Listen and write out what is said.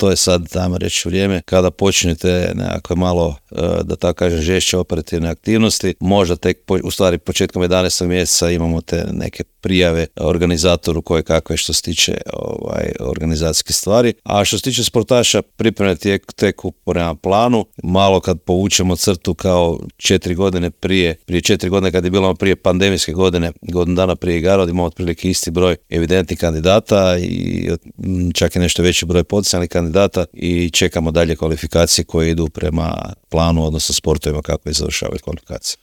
to je sad, dajmo reći, vrijeme kada počnete nekako malo, da tako kažem, žešće operativne aktivnosti. Možda tek, u stvari, početkom 11. mjeseca imamo te neke prijave organizatoru koje kakve što se tiče organizacijske stvari. A što se tiče sportaša, pripreme teku prema planu. Malo kad povučemo crtu kao 4 godine prije 4 godine kad je bilo prije pandemijske godine, godinu dana prije igara, imamo otprilike isti broj evidentnih kandidata i čak i nešto veći broj potencijalnih kandidata i čekamo dalje kvalifikacije koje idu prema planu, odnosno sportovima kako je završavaju kvalifikacije.